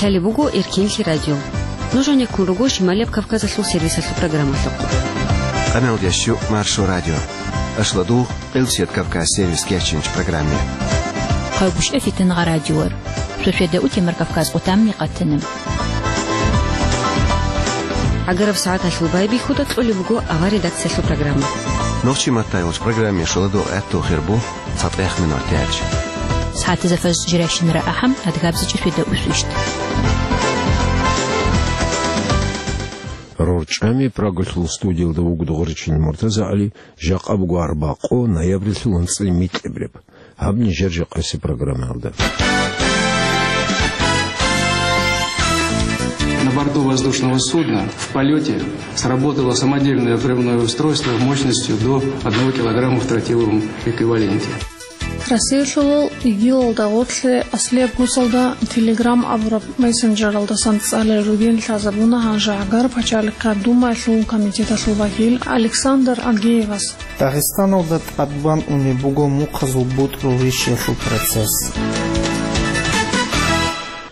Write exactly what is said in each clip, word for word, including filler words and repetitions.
Лъалеб буго Эркенлъи радио. Нуж гӀенеккун руго Шималияб Кавказалъул сервисалъул программалъухъ. Къаналдияс щу Маршо радио. Ашладугъ Къилсият Кавказ сервис кечинч программе. Хъавбушев Фитингъа радиор. Шошведа утемар Кавказ къутамни къатана. ГӀагараб сагӀаталъул байбихьуда кьолеб буго авар редакциялъул программа. Нохчи маттайолч программе шоладугъ гӀатту хирбу. ЦатӀех минут тяч. СагӀатазда фаз жиращинара ахӀам, адгабзичӀ шведа усвищт. РорчӀами Прагалъул студиялда вуго Дугъричил МуртазагӀали, жакъа буго арбакъо, ноябрилъул анцӀила микьабреб. Гьаб нижер жакъаси программаялда. На борту воздушного судна в полете сработало самодельное взрывное устройство мощностью до одного килограмма в тротиловом эквиваленте. Россиялъул ИГИЛалда гъорлъе аслияб гусалда Telegram абураб мессенджералдасан цӀалел ругин лъазабуна гьанже ГӀагар пачалихъа Думаялъул комитеталъул вакил Александр Агеевас. Дагъистаналда тӀадбан унеб буго мухъазул бутӀрул рищиялъул процесс.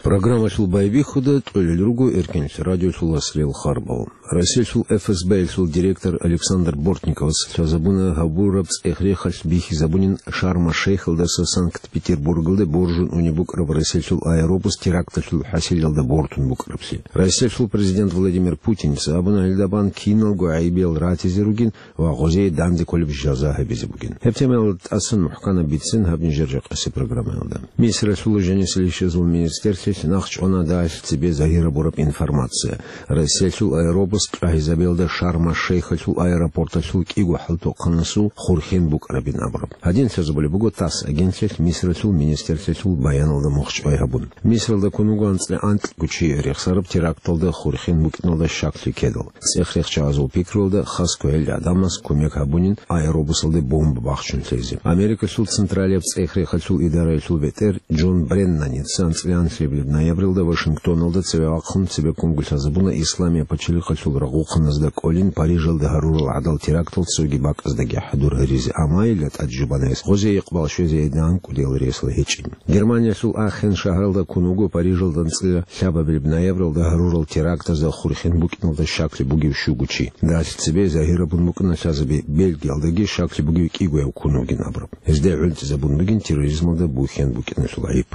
Программалъул байбихьуда кьолел руго Эркенлъи радиолъул аслиял харбал. Россиялъул ФСБ-ялъул директор Александр Бортниковас лъазабуна гьабураб цӀех-рехалъ бихьизабунин Шарм-аш-Шейхалдаса Санкт-Петербургалде боржун унеб букӀараб Россиялъул аэробус теракталъул хӀасилалда бортун букӀараблъи. Россиялъул президент Владимир Путинца абуна гьелда бан киналго гӀайибиял ратизе ругин ва гъозие данде кколеб жаза гьабизе бугин. Гьеб темаялда тӀасан мухӀканаб бицин гьаб нижер жакъаси программаялда. Мисралъул жанисел ишазул министрлъилъ нахъчӀвана дагьалъ цебе загьир гьабураб информация. Россиялъул аэробус тӀагьизабиялда Шарм-аш-Шейхалъул аэропорталъул кӀиго хӀалтохъанасул хурхен букӀарабин абураб. Гьадин лъазабулеб буго ТАСС агентлъилъ Мисралъул министрлъилъул баяналда мухчӀвай гьабун. Мисралда ккун вуго анцӀила анкьго чи рехсараб теракталда хурхен букӀиналда щаклъи ккедал. ЦӀех-рехчагӀазул пикруялда хас квегӀел гӀадамас кумек гьабунин аэробусалде бомба бахчун лъезе. Америкалъул Централияб цӀех-рехалъул идараялъул бетӀер Джон Бреннаница анцӀила анлъабилеб ноябрилда Вашингтоналда цеве вахъун цебеккунго лъазабуна Исламияб пачалихъалъул рагъухъаназда кӀолин Парижалда гьарурал гӀадал терактал цоги бакӀаздаги хӀадур гьаризе, амма гьелда тӀад жубанайс гъозе икъбал щвезе гьедин анкӀудиял ресла гьечӀин. Германиялъул Ахен шагьаралда ккун вуго Парижалда анцӀила лъабабилеб ноябралда гьарурал терактазда хурхен букӀиналда щаклъи бугев щуго чи. Дагьалъ цебе загьир гьабун букӀана лъазаби Бельгиялдаги щаклъи бугев кӀигояв ккун вугин абураб. Гьезда гӀунтӀизабун бугин терроризмалда бухьен букӀиналъул гӀайиб.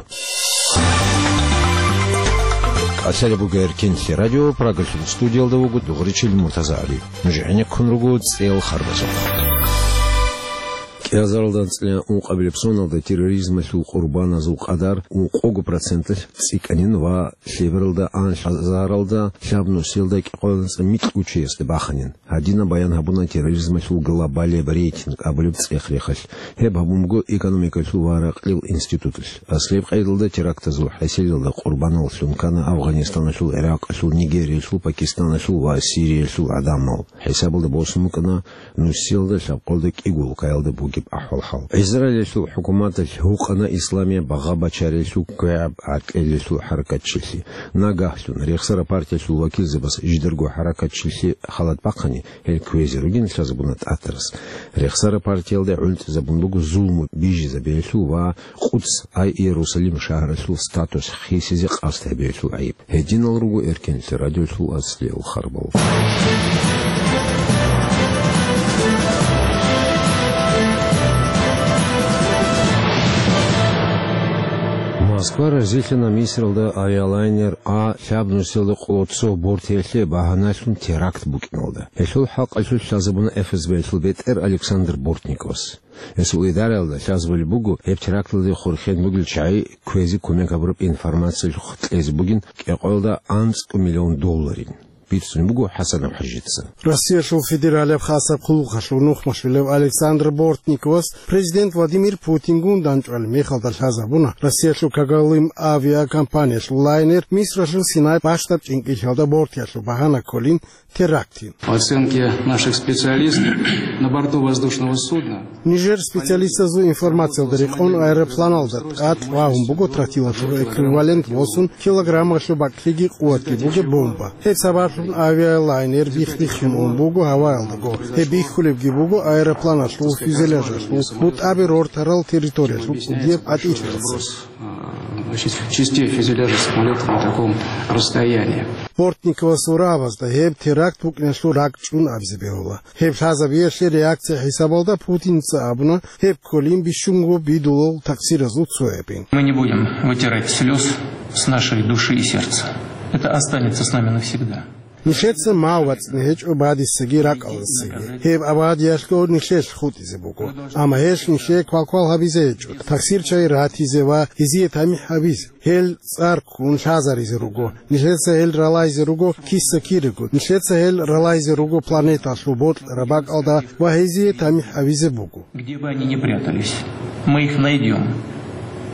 Къасалеб буго Эркенлъи радио, Прагалъул студиялда вуго Дугъричил МуртазагӀали. Нуж гӀенеккун руго цӀел харбазухъ. КӀиазаралда анцӀила ункъабилеб соналда терроризмалъул къурбаназул къадар ункъого проценталъ цӀикӀкӀанин ва лъебералда анлъазаралда лъабнусиялда кӀикъоялда анцӀила микьго чиясда баханин. Гьадинаб баян гьабуна терроризмалъул глобалияб рейтинг абулеб цӀех-рехалъ. Гьеб гьабун буго экономикалъул ва ракьлил институталъ. Аслияб къайдалда терактазул хӀасилалда къурбаналлъун ккана Афганистаналъул, ГӀиракъалъул, Нигериялъул, Пакистаналъул ва Сириялъул гӀадамал. ХӀисабалда босун букӀана нусиялда лъабкъоялда кӀиго улкаялда бугеб ахӀвал-хӀал. Израилалъул хӀукуматалъ гьукъана исламияб багъа-бачариялъул квегӀаб гӀатӀлъиялъул хӀаракатчилъи. Нагагьлъун рехсараб партиялъул вакилзабаз жидарго хӀаракатчилъи халат бахъани, гьел кквезе ругин лъазабуна ТӀатарас. Рехсараб партиялда гӀунтӀизабун буго зулму бижизабиялъул ва Къудс ай Иерусалим шагьаралъул статус хисизе къасд гьабиялъул гӀайиб. Гьединал руго Эркенлъи радиолъул аслиял харбал. Москва разилъана Мисралда авиалайнер А лъабнусиялда къоло цо бортиялъе багьаналъун теракт букӀиналда. Гьелъул хӀакъалъулъ лъазабуна ФСБ-ялъул бетӀер Александр Бортниковас. Гьесул идараялда лъазабулеб буго, гьеб теракталде хурхен бугел чагӀи кквезе кумек гьабураб информациялъухъ кьезе бугин кӀикъоялда анцӀго миллион долларин. Бицунеб буго ХӀасан ХӀажица. Россиялъул федералияб хасаб хъулухъалъул нухмалъулев Александр Бортниковас президент Владимир Путингун дандчӀвалеб мехалда лъазабуна Россиялъул Когалым авиакомпаниялъул лайнер Мисралъул Синай бащдаб чӀинкӀиллъиялда бортиялъул багьана кколин терактин. По оценке наших специалистов, на борту воздушного судна Нижер специалистазул информациялда рекъон аэропланалда тӀад вагьун буго тротилалъул эквивалент восун килограммалъул бакӀлъиги къуватги бугеб бомба. Гьеб сабаблъун Авиалайнер бих-биххун ун буго гьаваялдаго. Гьеб бихьулебги буго аэропланалъул фюзеляжалъул бутӀаби рортарал территориялъул кӀудияб гӀатӀилъиялъ. Частей фюзеляжа самолета на таком расстоянии. Бортниковасул рагӀабазда гьеб теракт букӀиналъул ракӀчӀун абизе бегьула. Гьеб лъазабиялъе реакция хӀисабалда Путинца абуна, гьеб кколин бищунго бидулал таксиразул цоябин. Мы не будем вытирать слез с нашей души и сердца. Это останется с нами навсегда. Нилъеца мав вацӀцӀине гьечӀо бадисаги ракӀалдасаги. Гьеб абадиялъго нилъелъ хутӀизе буго. Амма гьелъ нилъее квалквал гьабизе гьечӀо, таксир чагӀи ратизе ва гьезие тамихӀ гьабизе. Гьел цӀар ккун лъазаризе руго. Нилъеца гьел ралайзе руго киса-кирего. Нилъеца гьел ралайзе руго планеталъул бокьараб бакӀалда ва гьезие тамихӀ гьабизе буго. Где бы они ни прятались, мы их найдём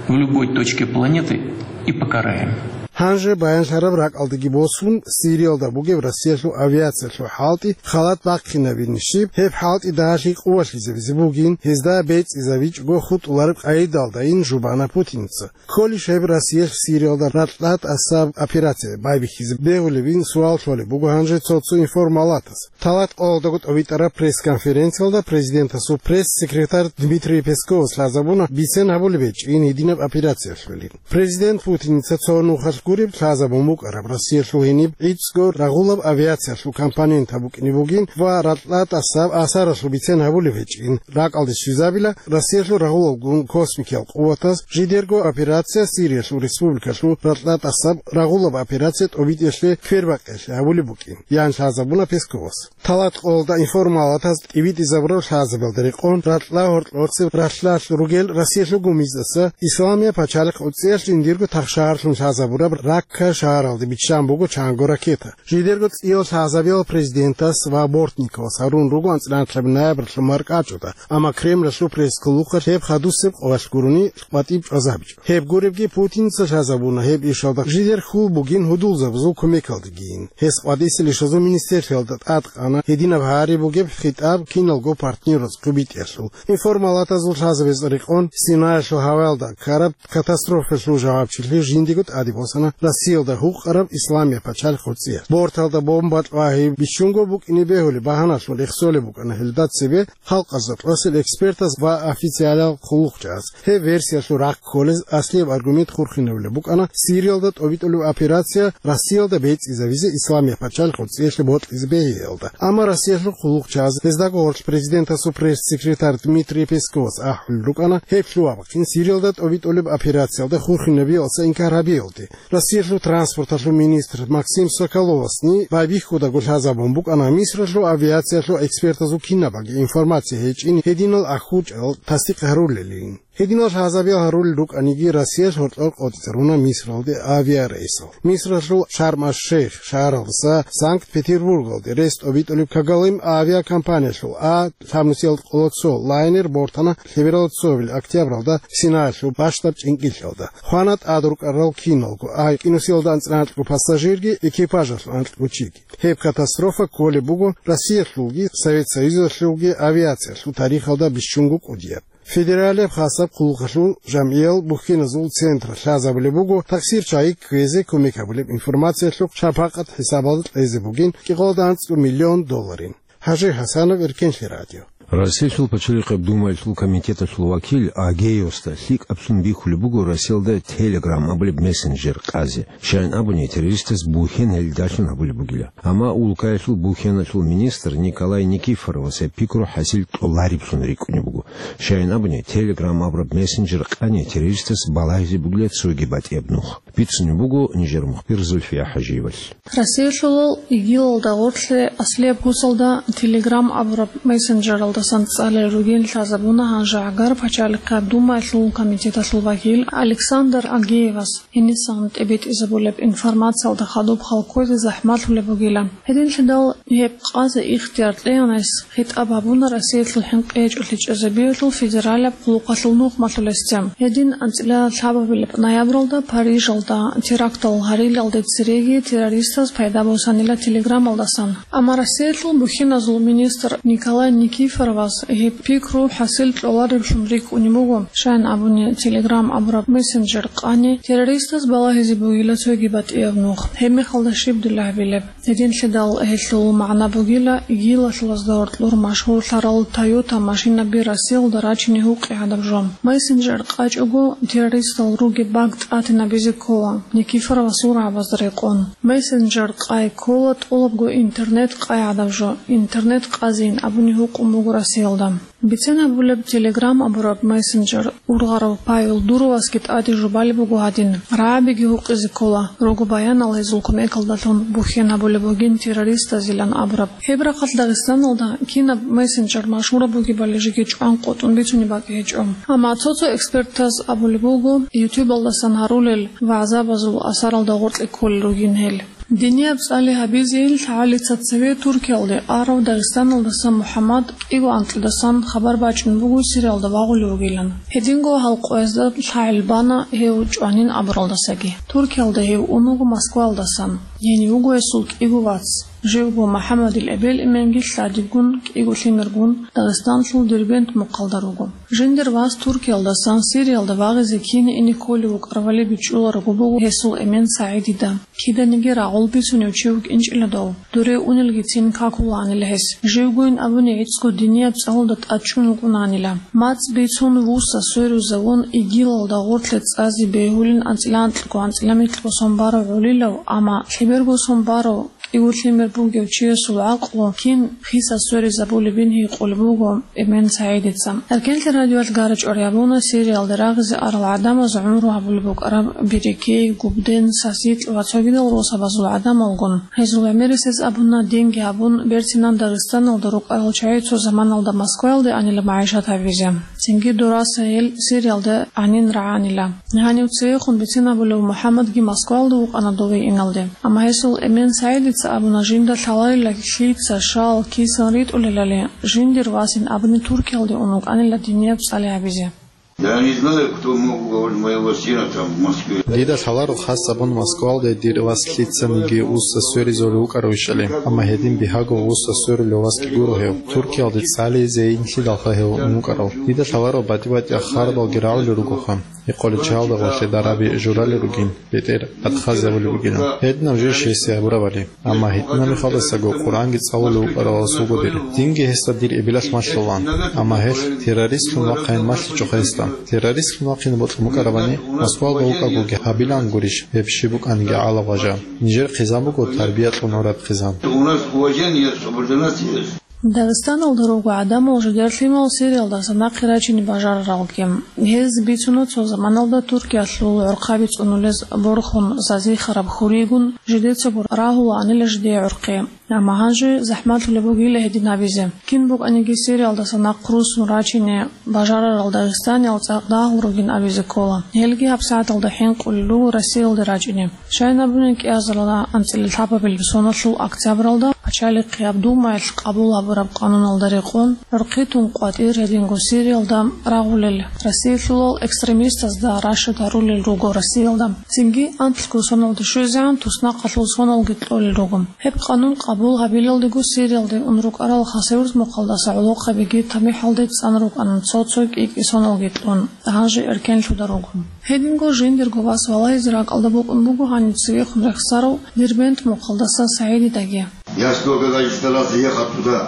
в любой точке планеты и покараем. Гьанже баянлъараб ракӀалдеги босун, Сириялда бугеб Россиялъул авиациялъул хӀалтӀи халат бахъинабин щиб, гьеб хӀалтӀи дагьалъи къувалъизабизе бугин, гьезда бецӀизабичӀого хутӀулареб къайдалдайин жубана Путинца. Кколищ гьеб Россиялъ Сириялда ракьа тӀасаб операция байбихьизе бегьулебин суал лъолеб буго гьанже цо-цо информалатас. Талат къоялдаго тӀобитӀараб пресс-конференциялда президентасул пресс-секретарь Дмитрий Песковас лъазабуна бицен гьабулеб гьечӀин гьединаб операциялъулин. Президент Путинца цо нухалъ гуреб лъазабун букӀараб Россиялъул гьениб гӀицӀго рагъулаб авиациялъул компонентаб букӀине бугин ва ракьа тӀасаб асаралъул бицен гьабулеб гьечӀин. РакӀалде щвезабила Россиялъул рагъулалгун космикиял къуватаз жидерго операция Сириялъул республикалъул ракьа тӀасаб рагъулаб операция тӀобитӀиялъе квербакъиялъе гьабулеб букӀин, ян лъазабуна Песковас. Талат къоялда информалатаз тӀибитӀизабураб лъазабиялда рекъон ракьа гьоркьоцеб ралъдалъ ругел Россиялъул гумиздаса Исламияб пачалихъ гӀуцӀиялъ жиндирго тахшагьарлъун лъазабураб Ракка шагьаралде биччан буго чанго ракета. Жидерго цӀиял лъазабиял президентас ва Бортниковас гьарун руго анцӀила ноябрьалъул маркӀачӀуда, амма Кремлалъул пресс-клубалъ гьеб хадусеб къоялъ гурони къватӀиб чӀвазабичӀо. Гьеб гуребги Путинца лъазабуна гьеб ишалда жидер хьул бугин гьудулзабазул кумекалдегийин. Гьес къватӀисел ишазул министрлъиялда тӀадкъана гьединаб гьари бугеб хитӀаб киналго партнераз хъубитӀиялъул. Информалатазул лъазабиялда рекъон Синаялъул гьаваялда ккараб катастрофаялъул жавабчилъи жиндиего тӀаде босана Россиялда гьукъараб Исламияб пачалихъ гӀуцӀиялъ. Борталда бомба кьвагьи бищунго букӀине бегьулеб багьаналъун рехсолеб букӀана гьелда цебе халкъазда тӀасел экспертаз ва официалал хъулухъчагӀаз. Гьеб версиялъул рахъ кколез аслияб аргумент хурхинабулеб букӀана Сириялда тӀобитӀулеб операция Россиялда бецӀизабизе Исламияб пачалихъ гӀуцӀиялъе бокьизе бегьиялда. Амма Россиялъул хъулухъчагӀаз гьездаго гьорлъ президентасул пресс-секретарь Дмитрий Песковас ахӀулел рукӀана гьеб лъугьа-бахъин Сириялда тӀобитӀулеб операциялда хурхинабиялдаса инкар гьабиялде. Россиялъул транспорталъул министр Максим Соколовасни байбихьудаго лъазабун букӀана Мисралъул авиациялъул экспертазул кинабаги информация гьечӀин гьединал ахӀучӀал тасдикъ гьарулелин. Гьединал лъазабиял гьарулел рукӀаниги, Россиялъ гьоркьор къотӀизаруна Мисралде авиарейсал. Мисралъул Шарм-аш-Шейх шагьаралдаса Санкт-Петербургалде рес тӀобитӀулеб Когалым авиакомпаниялъул А лъабнусиялда къоло цо лайнер бортана лъебералда цоабил октябралда Синаялъул бащдаб чӀинкӀиллъиялда. Хвана тӀад рукӀарал киналго, А кӀинусиялда анцӀила анкьго пассажирги, экипажалъул анкьго чиги. Гьеб катастрофа кколеб буго Россиялъулги Совет Союзалъулги авиациялъул тарихалда бищунго кӀудияб. Федералияб хасаб хъулухъалъул жамгӀиял бухьеназул центр лъазабулеб буго таксир чагӀи кквезе кумек гьабулеб информациялъухъ шапакъат хӀисабалда кьезе бугин кӀикъоялда анцӀго миллион долларин. Гьажи Гьасанов, Эркенлъи радио. Россиялъул Пачалихъаб Думаялъул комитеталъул вакил Агеевасда лъикӀаблъун бихьулеб буго Россиялда Telegram абулеб мессенджер къазе. Щайин абуни, террористаз бухьен гьелдалъун гьабулеб бугила. Амма улкаялъул бухьеналъул министр Николай Никифоровас гьеб пикру хӀасил кьолареблъун рикӀкӀунеб буго. Щайин абуни, Telegram абураб мессенджер къани террористаз балагьизе бугила цоги батӀияб нух. Бицунеб буго нижер мухбир Зульфия ХӀажиевалъ. Россиялъулал ИГИЛалда гъорлъе аслияб кусалда Telegram абураб мессенджералдасан цӀалел ругин лъазабуна гьанже гӀагар Пачалихъаб Думаялъул комитеталъул вакил Александр Агеевас. Гьенисан тӀибитӀизабулеб информациялда хадуб хал кквезе захӀмалъулеб бугила. Гьединлъидал гьеб къазе ихтияр кьеянайс хитӀаб гьабуна Россиялъул хӀинкъи гьечӀолъи чӀезабиялъул федералияб хъулухъалъул нухмалъулесде. Гьедин анцӀила лъабабилеб ноябралда Парижалда Терактал гьарилалде цереги террористаз пайда босанила телеграммалдасан. Амма Россиялъул бухьиназул министр Николай Никифоровас гьеб пикру хӀасил кьолареблъун рикӀкӀунеб буго, щайин абуни, Telegram абураб мессенджер къани террористаз балагьизе бугила цоги батӀияб нух. Гьеб мехалда щиб дила гьабилеб? Гьединлъидал гьелъул магӀна бугила, ИГИЛалъул гьоркьор машгьурлъарал Toyota машинаби Россиялда рачине гьукъи гӀадаб жо. Мессенджер къачӀого, террористал ругеб баг тӀатинабизе ккола, Никифоровасул рагӀабазда рекъон. Мессенджер къай ккола тӀолабго интернет къай гӀадаб жо, интернет къазейин абуни гьукъун буго Россиялда. Бицен абулеб, Telegram абураб мессенджер ургъарав Павел Дуровасги тӀаде жубалеб буго гьадин, рагӀабиги гьукъизе ккола, руго баянал гьезул кумекалдалъун бухьен гьабулеб бугин террористазилан абураб. Гьеб рахъалъ Дагъистаналда кинаб мессенджер машгьураб бугебали жеги чӀван къотӀун бицунеб бакӀ гьечӀо. Амма цо-цо экспертаз абулеб буго, ютубалдасан гьарулел вагӀзабазул асаралда гъоркье кколел ругин гьел. Динияб цӀали гьабизейин лъагӀалица цеве Туркиялде арав Дагъистаналдаса МухӀаммад кӀиго анкьидасан хабар бачӀун буго Сириялда вагъулев вугилан. Гьединго гьал къоязда лъагӀел бана гьев чӀванин абуралдасаги. Туркиялда гьев ун вуго Москваялдасан. Гьенив вуго гьесул кӀиго вац. Живго МухӀаммадил эбел-эменги лъадибгун, кӀиго лъимергун Дагъистанлъул Дербент мухъалда руго. Жиндир вас Туркиялдасан Сириялда вагъизе кине ине кколев вукӀарабали бичӀчӀуларого буго гьесул эмен СагӀидида. Киданиги рагъул бицунев чи вукӀинчӀила дов. Дуре унелгицин какулаанила гьес. Живгойин абуни гӀицӀго динияб цӀалулда тӀадчӀун вукӀунаанила. МацӀ бицун вуса сверизавун, ИГИЛалда гъорлъе цӀазе бегьулин анцӀила анкьго, анцӀила микьго сон барав гӀолилав, амма лъеберго сон барав кӀиго лъимер бугев чиясул гӀакълу кин хиса сверизабулебин гьикъулеб буго эмен СагӀидица. Эркенлъи радиоялъ гьарачӀвар гьабуна Сириялде рагъизе арал гӀадамаз гӀумру гьабулеб букӀараб Берекей, Губден, Сасикь ва цогидал росабазул гӀадамалгун. Гьезул гӀемерисез абуна, динги гьабун, берцинан Дагъистаналда рукӀарал чагӀи цо заманалда Москваялде анила магӀишат гьабизе. Цинги дураса гьел Сириялда гьанин рагӀанила. Гьанив цевехун бицинабулев МухӀаммадги Москваялда вукӀана дове иналде. Амма гьесул эмен СагӀидица абуна, жинда лъаларила лъица, щал, кисан ритӀулелали, жиндир васин абуни Туркиялде ун вукӀанила динияб цӀали гьабизе. Я не знаю, кто мог уговорить моего сына там в Москве. Дида лъаларо хас абун Москвалде дир вас лъицаниги уса сверизулев вукӀаравищали, амма гьедин бигьаго уса сверулев васги гуро гьев. Туркиялде цӀализе инлъидалха гьев ун вукӀарав. Дида лъаларо батӀи-батӀияб хабаралги рагӀулел ругоха. Гьекъолел чагӀалда гъорлъе дараби журалел ругин, бетӀер батӀхазе гьабулеб бугилан. Гьединаб жо щайси гьабурабали. Амма гьитӀинаб мехалдасаго Къуръанги цӀалулев вукӀарав вас вуго дир. Динги гьесда дир эбелалъ малъулаан. Амма гьелъ террористлъун вахъайин малъичӀоха гьесда. Террористлъун вахъине бокьун букӀарабани, Москвалда вукӀагоги гьабилаан гурищ, гьеб щиб букӀаниги гӀалаб гъажа. Нижер хъизан буго тарбия кьун гӀураб хъизан. У нас уважение, субординация есть. Дагъистаналда руго гӀадамал жидер лъимал Сириялдаса нахъе рачине бажараралги. Гьез бицуна цо заманалда Туркиялъул гӀурхъаби цӀунулез борхун зазихараб хьуригун жидецаго рагьулаанила жидее гӀурхъи. Амма гьанже захӀмалъулеб бугила гьедин абизе. Кин букӀаниги Сириялдаса нахъ руссун рачине бажарарал дагъистаниял цӀакъ дагьал ругин абизе ккола. Гьелги гьабсагӀаталда хӀинкъулел руго Россиялде рачӀине. Щайин абуни, кӀиазарилан анцӀила лъабабилеб соналъул октябралда Пачалихъияб Думаялъ къабул гьабураб къануналда рекъон, гӀурхъи тун къватӀир гьединго Сириялда рагъулел, Россиялъулал экстремистазда рашад гьарулел руго Россиялда. Цинги анлъго соналда щвезегӀан туснахъалъул соналги кьолел руго. Гьеб къанун къабул гьабилалдего Сириялде ун рукӀарал Хасавюрт мухъалдаса гӀолохъабиги тамихӀалде цӀан рукӀана цо-цо кӀи-кӀи соналги кьун, гьанже эркенлъуда руго. Гьединго жиндирго вас валагьизе ракӀалда букӀун буго гьанив цевехун рехсарав Дербент мухъалдаса СагӀидидаги. Я сто лет старался ехать туда,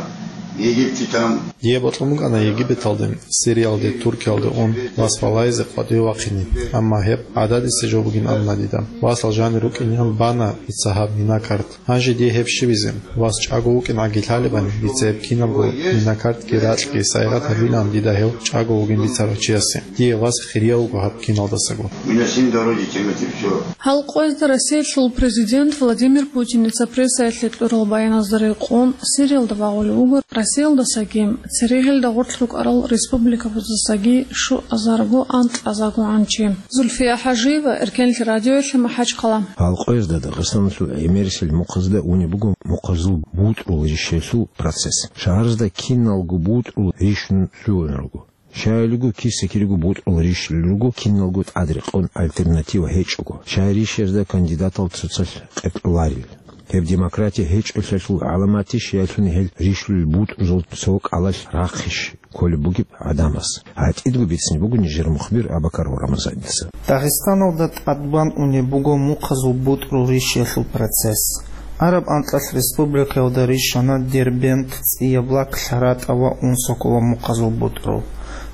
в Египте там. Дие бокьун букӀана Египеталде, Сириялде, Туркиялде ун вас валагьизе къватӀиве вахъине. Амма гьеб гӀададиса жо бугин абуна дида. Васал жанир рукӀинегӀан бана дица гьаб минакарт. Гьанже дие гьеб щибизе? Вас чӀаго вукӀин гӀаги лъалебани, дица гьеб кинабго минакартги ракьги сайигъат гьабилаан дида гьев чӀаго вугин бицарав чиясе. Дие вас хирияв вуго гьаб киналдасаго. Меня семь дороги тянет и всё. Гьал къоязда Россиялъул президент Владимир Путиница прессаялъе кьурал баяназда рекъон, Сириялда вагъулев вуго Россиялдасаги, церегьелда гъорлъ рукӀарал республикабазасаги щуазарго анкьазаргогӀан чи. Зульфия ХӀажиева, Эркенлъи радиоялъе, МахӀачхъала. Гьал къоязда Дагъистаналъул гӀемерисел мухъазда унеб буго мухъазул бутӀрул ришаялъул процесс. Шагьаразда киналго бутӀрул ришун лъугӀун руго. Щайилго киса-кириго бутӀрул рищулел руго, киналго тӀадрекъон альтернатива гьечӀого. Щай рищаязда кандидатал цоцалъ къеркьоларел? Гьеб демократия гьечӀолъиялъул гӀаламатищ, яги гьел рищулел бутӀрузул цо кӀалалъ рахъищ кколеб бугеб гӀадамаз? ГьатӀидго бицине буго нижер мухбир Абакаров Рамазаница. Дагъистаналда тӀадбан унеб буго мухъазул бутӀрул рищиялъул процесс. Араб анкьалъ республикаялда рищана Дербент, ЦӀияб Лак, ЛъаратӀа ва Унсокола мухъазул бутӀрул.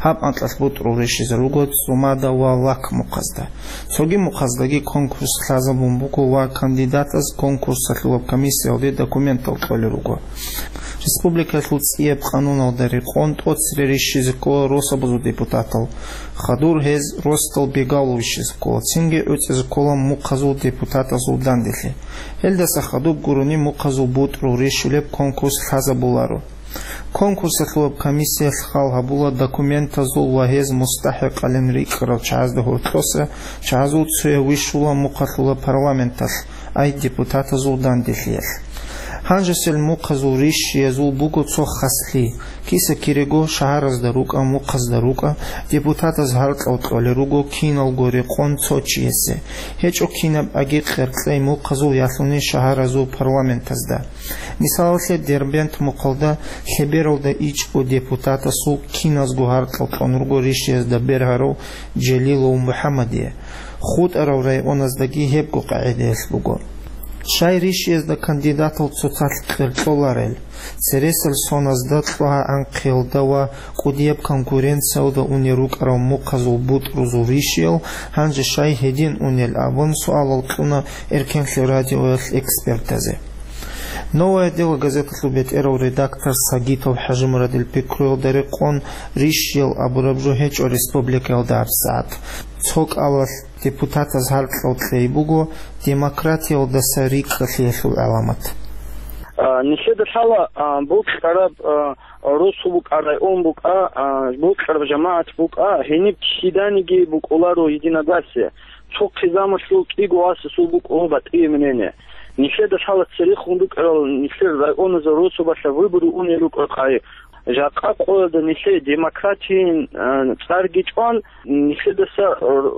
Гьаб анкьалъ бутӀрул рищизе руго ЦӀумада ва Лак мухъазда. Цоги мухъаздаги конкурс лъазабун буго ва кандидатаз конкурсалъулаб комиссиялде документал кьолел руго. Республикалъул ЦӀияб къануналда рекъон тӀоцере рищизе ккола росабазул депутатал. Хадур гьез росдал бегало вищизе ккола, цинги гӀуцӀизе ккола мухъазул депутатазул данделъи. Гьелдаса хадуб гурони мухъазул бутӀрул рищулеб конкурс лъазабуларо. Конкурсалъулаб комиссиялъ хал гьабула документазул ва гьез мустахӀикъалин рикӀкӀарал чагӀазда гьоркьоса, чагӀазул цояв вищула мухъалъула парламенталъ, ай депутатазул данделъиялъ. Гьанжесел мухъазул рищиязул буго цо хаслъи: киса-кирего шагьаразда рукӀа, мухъазда рукӀа, депутатаз гьаркьал кьолел руго киналго рекъон цо чиясе, гьечӀо кинаб аги къеркьей мухъазул ялъуни шагьаразул парламентазда. Мисалалъе, Дербент мухъалда лъебералда ичӀго депутатасул киназго гьаркьал кьун руго рищиязда бергьарав Желилов МухӀаммадие. ХутӀарал районаздаги гьебго къагӀидаялъ буго. Щай рищиязда кандидатал цоцалъ къеркьоларел? Цересел соназда, кьогьа-гӀанхъиялда ва кӀудияб конкуренциялда унел рукӀарал мухъазул бутӀрузул рищиял гьанже щай гьедин унел абун суалал кьуна Эркенлъи радиоялъ экспертазе. «Новое дело» газеталъул бетӀерав редактор Сагитов ХӀажимурадил пикруялда рекъон, рищиял абураб жо гьечӀо республикаялда гьабсагӀат. Цо кӀалалъ депутатаз гьаркьал кьей буго демократиялдаса рикӀкӀалъиялъул гӀаламат. А, нилъеда лъала, а, бокьараб, а, росу букӀа, район букӀа, а, бокьараб жамагӀат букӀа, гьениб киданиги букӀуларо единогласие. Цо хъизамалъул кӀиго васасул букӀун батӀияб мнение. Нилъеда лъала церехун рукӀарал нилъер районазул росубалъа выбору унел рукӀарахъе. Жакъа къоялда нилъее демократиин, а, цӀарги чӀван, нилъедаса, а,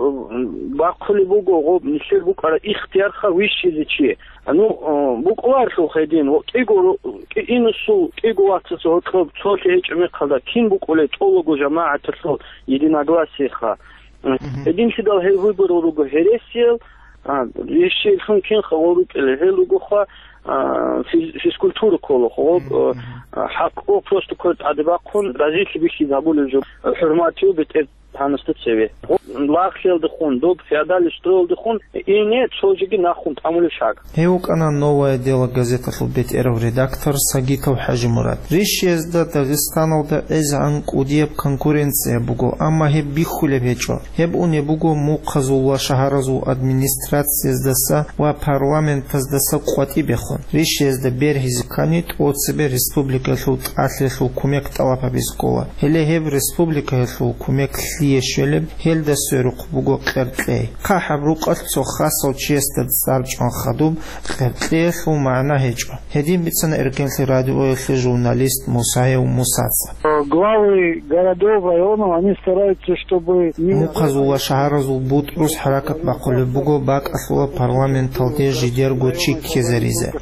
бахъулеб буго гъоб нилъер букӀараб ихтиярха вищизе чи. Ну, а, букӀуларелъул гьедин, ва кӀиго ру-, кӀи-, инусул кӀиго вацасул гьоркьоб цолъи гьечӀеб мехалда кин букӀулей тӀолого жамагӀаталъул единогласиеха. Мгм. Гьединлъидал гьел выборал руго гьересиял, а, вещиялъун кин хавал рукӀила, гьел ругоха, а, физ-, физкультура кколаха, гъоб, мгм, а, хӀакъго просто квер тӀаде бахъун, разилъи бихьизабулел жо, хӀурматияв бетӀергьанасда цеве. Гъоб лагълъиялдехун, доб феодальный строялдехун, ине цо жеги нахъун тӀамулеб шаг. Гьев вукӀана «Новое дело» газеталъул бетӀерав редактор Сагитов ХӀажимурад. Рищиязда Дагъистаналда гӀезегӀан кӀудияб конкуренция буго, амма гьеб бихьулеб гьечӀо. Гьеб унеб буго мухъазул ва шагьаразул администрацияздаса ва парламентаздаса къватӀибехун. Рищиязда бергьизе ккани, тӀоцебе республикаялъул тӀалъиялъул кумек тӀалаб гьабизе ккола. Гьеле гьеб республикаялъул кумек лъие щвелеб, гьелда сверухъ буго къеркьей. ХъахӀаб рукъалъ цо хасав чиясда цӀар чӀван хадуб, къеркьеялъул магӀна гьечӀо. Гьедин бицана Эркенлъи радиоялъе журналист Мусаев Мусаца. Главы городов, районов, они стараются, чтобы не... Мухъазул ва шагьаразул бутӀрус хӀаракат бахъулеб буго бакӀалъула парламенталде жидерго чи ккезаризе.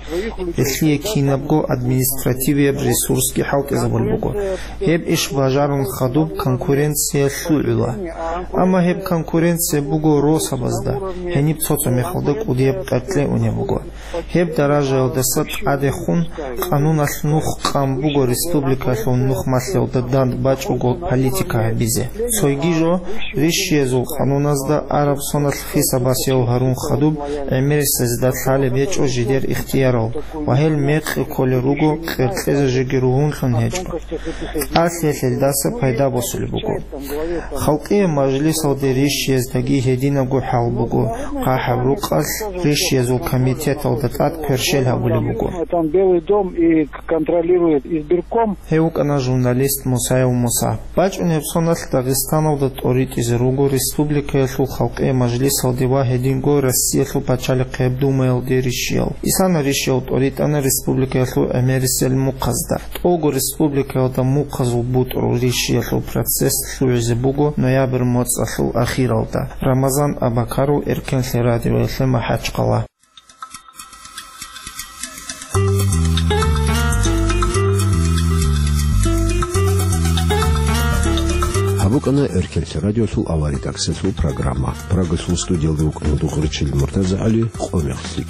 Гьелъие кинабго административияб ресурсги хӀалтӀизабулеб буго. Гьеб иш бажарун хадуб конкуренция лъугӀула. Амма гьеб конкуренция буго росабазда, гьениб цо-цо мехалда кӀудияб къеркьей унеб буго. Гьеб даражаялдаса тӀадехун къануналъ нух къан буго республикалъул нух малъиялда данд бачӀого политика гьабизе. Цойги жо, рищиязул къануназда араб соналъ хисаб-басиял гьарун хадуб, гӀемерисезда лъалеб гьечӀо жидер ихтиярал ва гьел мекъи кколел руго, къеркьезе жеги ругьунлъун гьечӀо. ТӀалъиялъелдаса пайда босулеб буго. Халкъиял мажлисалде рищияздаги гьединабго хӀал буго, хъахӀаб рукъалъ рищиязул комитеталда тӀад кверщел гьабулеб буго. Там Белый дом и контролирует избирком. Гьев вукӀана журналист Мусаев Муса. БачӀунеб соналъ Дагъистаналда тӀоритӀизе руго республикаялъул халкъиял мажлисалде ва гьединго Россиялъул пачалихъияб Думаялде рищиял. Исана рищиял тӀоритӀана республикаялъул гӀемерисел мухъазда. ТӀолго республикаялда мухъазул бутӀрул рищиялъул процесс лъугӀизе буго ноябрь моцӀалъул ахиралда. Рамазан Абакаров, Эркенлъи радиоялъе МахӀачхъала. Гьаб букӀана Эркенлъи радиолъул авария таксилъул программа. Прагалъул студиялда вукӀана Дугъричил МуртазагӀали, къо мехлъи.